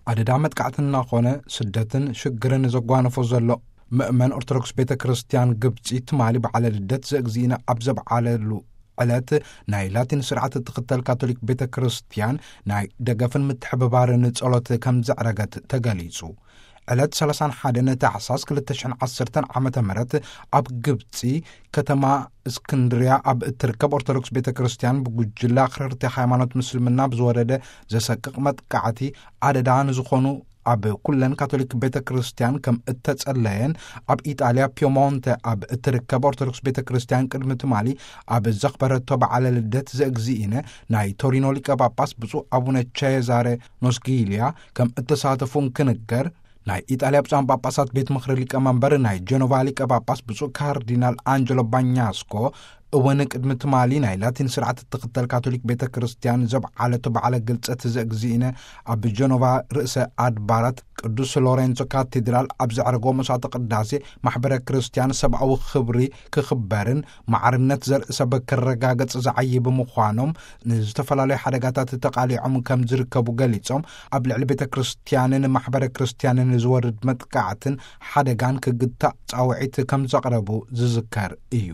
ኣደዳ መጥቃዕቲ እናኾነ ስደትን ሽግርን ዘጓነፎ ዘሎ ምእመን ኦርቶዶክስ ቤተ ክርስቲያን ግብጺ ትማሊ በዓለ ልደት ዘእግዚእነ ኣብ ዘብዓለሉ ዕለት ናይ ላቲን ስርዓት እትኽተል ካቶሊክ ቤተ ክርስቲያን ናይ ደገፍን ምትሕብባርን ጸሎት ከም ዘዕረገት ተገሊጹ። ዕለት ሰላሳን ሓደን ታሕሳስ ክልተ ሽሕን ዓሰርተን ዓመተ ምህረት ኣብ ግብጺ ከተማ እስክንድርያ ኣብ እትርከብ ኦርቶዶክስ ቤተ ክርስቲያን ብጉጅለ ኣኽረርቲ ሃይማኖት ምስልምና ብዝወረደ ዘሰቅቕ መጥቃዕቲ ኣደዳ ንዝኾኑ ኣብ ኩለን ካቶሊክ ቤተ ክርስቲያን ከም እተጸለየን ኣብ ኢጣልያ ፒየሞንተ ኣብ እትርከብ ኦርቶዶክስ ቤተ ክርስቲያን ቅድሚ ትማሊ ኣብ ዘኽበረቶ በዓለ ልደት ዘእግዚእነ ናይ ቶሪኖ ሊቀ ጳጳስ ብፁዕ ኣቡነ ቼዛሬ ኖስጊልያ ከም እተሳተፉ እንክንገር፣ ናይ ኢጣልያ ብፁዓን ጳጳሳት ቤት ምኽሪ ሊቀ መንበር ናይ ጀኖቫ ሊቀ ጳጳስ ብፁዕ ካርዲናል ኣንጀሎ ባኛስኮ እውን ቅድሚ ትማሊ ናይ ላቲን ስርዓት እትኽተል ካቶሊክ ቤተ ክርስቲያን ዘብዓለቶ በዓለ ግልጸት ዘእግዚእነ ኣብ ጀኖቫ ርእሰ ኣድባራት ቅዱስ ሎሬንዞ ካቴድራል ኣብ ዘዕረጎ መስዋዕተ ቅዳሴ ማሕበረ ክርስቲያን ሰብኣዊ ክብሪ ክኽበርን ማዕርነት ዘርኢ ሰብ ክረጋገጽ ዝዓዪ ብምዃኖም ንዝተፈላለዩ ሓደጋታት ተቓሊዖም ከም ዝርከቡ ገሊጾም፣ ኣብ ልዕሊ ቤተ ክርስቲያንን ማሕበረ ክርስቲያንን ዝወርድ መጥቃዕትን ሓደጋን ክግታእ ጻውዒት ከም ዘቕረቡ ዝዝከር እዩ።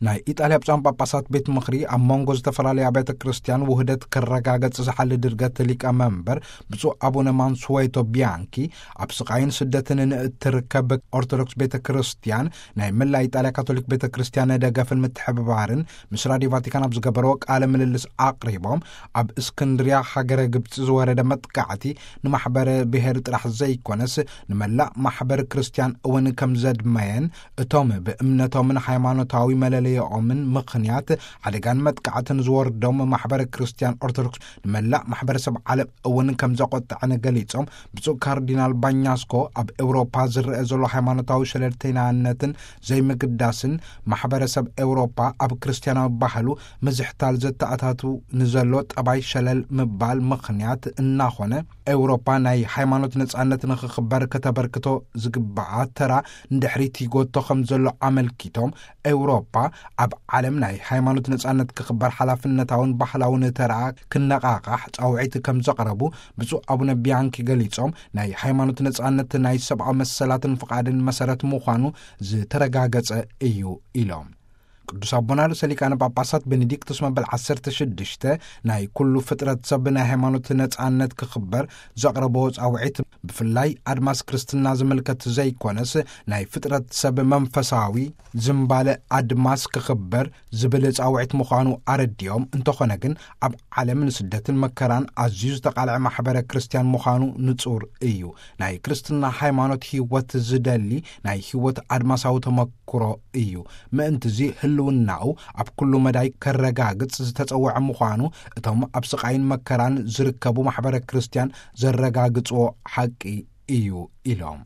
ናይ ኢጣልያ ብፁዓን ጳጳሳት ቤት ምኽሪ ኣብ መንጎ ዝተፈላለዩ ኣብያተ ክርስቲያን ውህደት ክረጋገጽ ዝሓሊ ድርገት ሊቀ መንበር ብፁዕ ኣቡነ ማንሱዌቶ ቢያንኪ ኣብ ስቓይን ስደትን ንእትርከብ ኦርቶዶክስ ቤተ ክርስቲያን ናይ መላ ኢጣልያ ካቶሊክ ቤተ ክርስቲያን ደገፍን ምትሕብባርን ምስ ራድዮ ቫቲካን ኣብ ዝገበርዎ ቃለ ምልልስ ኣቕሪቦም፣ ኣብ እስክንድርያ ሃገረ ግብጺ ዝወረደ መጥቃዕቲ ንማሕበረ ብሔር ጥራሕ ዘይኮነስ ንመላእ ማሕበረ ክርስቲያን እውን ከም ዘድመየን፣ እቶም ብእምነቶምን ሃይማኖታዊ መለለይኦምን ምኽንያት ሓደጋን መጥቃዕትን ዝወርዶም ማሕበረ ክርስቲያን ኦርቶዶክስ ንመላእ ማሕበረሰብ ዓለም እውን ከም ዘቆጥዐን ገሊጾም፣ ብፁዕ ካርዲናል ባኛስኮ ኣብ ኤውሮፓ ዝረአ ዘሎ ሃይማኖታዊ ሸለልተይናነትን ዘይምግዳስን ማሕበረሰብ ኤውሮፓ ኣብ ክርስቲያናዊ ባህሉ ምዝሕታል ዘተኣታቱ ንዘሎ ጠባይ ሸለል ምባል ምኽንያት እናኾነ፣ ኤውሮፓ ናይ ሃይማኖት ነጻነት ንኽኽበር ከተበርክቶ ዝግባኣ ተራ ንድሕሪት ይጎቶ ከም ዘሎ ኣመልኪቶም፣ ኤውሮፓ ኣብ ዓለም ናይ ሃይማኖት ነጻነት ክኽበር ሓላፍነታውን ባህላውን ተራ ክነቓቓሕ ጻውዒት ከም ዘቕረቡ ብፁዕ ኣቡነ ቢያንኪ ገሊጾም፣ ናይ ሃይማኖት ነጻነት ናይ ሰብኣዊ መሰላትን ፍቓድን መሰረት ምዃኑ ዝተረጋገጸ እዩ ኢሎም። ቅዱስ ኣቦና ርእሰ ሊቃነ ጳጳሳት ቤኔዲክቱስ መበል ዓሰርተ ሽዱሽተ ናይ ኩሉ ፍጥረት ሰብ ናይ ሃይማኖት ነጻነት ክኽበር ዘቕረብዎ ጻውዒት፣ ብፍላይ ኣድማስ ክርስትና ዝምልከት ዘይኮነስ፣ ናይ ፍጥረት ሰብ መንፈሳዊ ዝምባለ ኣድማስ ክኽበር ዝብል ጻውዒት ምዃኑ ኣረዲኦም፣ እንተኾነ ግን ኣብ ዓለም ንስደትን መከራን ኣዝዩ ዝተቓልዐ ማሕበረ ክርስቲያን ምዃኑ ንጹር እዩ። ናይ ክርስትና ሃይማኖት ህይወት ዝደሊ ናይ ህይወት ኣድማሳዊ ተመክሮ እዩ። ምእንትዚ ህልውናኡ ኣብ ኩሉ መዳይ ከረጋግጽ ዝተጸውዐ ምዃኑ እቶም ኣብ ስቓይን መከራን ዝርከቡ ማሕበረ ክርስቲያን ዘረጋግጽዎ ሓቂ እዩ ኢሎም።